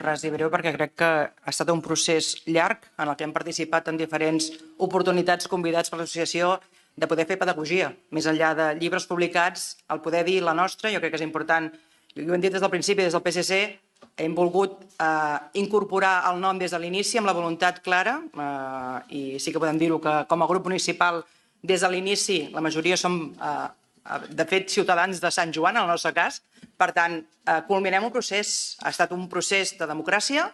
res i breu perquè crec que ha estat un procés llarg en el que hem participat en diferents oportunitats convidats per l'associació de poder fer pedagogia. Més enllà de llibres publicats, el poder dir la nostra, jo crec que és important. I ho hem dit des del principi, des del PSC, hem volgut incorporar el nom des de l'inici amb la voluntat clara, i sí que podem dir-ho que com a grup municipal des de l'inici la majoria som, de fet, ciutadans de Sant Joan, en el nostre cas. Per tant, culminem un procés. Ha estat un procés de democràcia,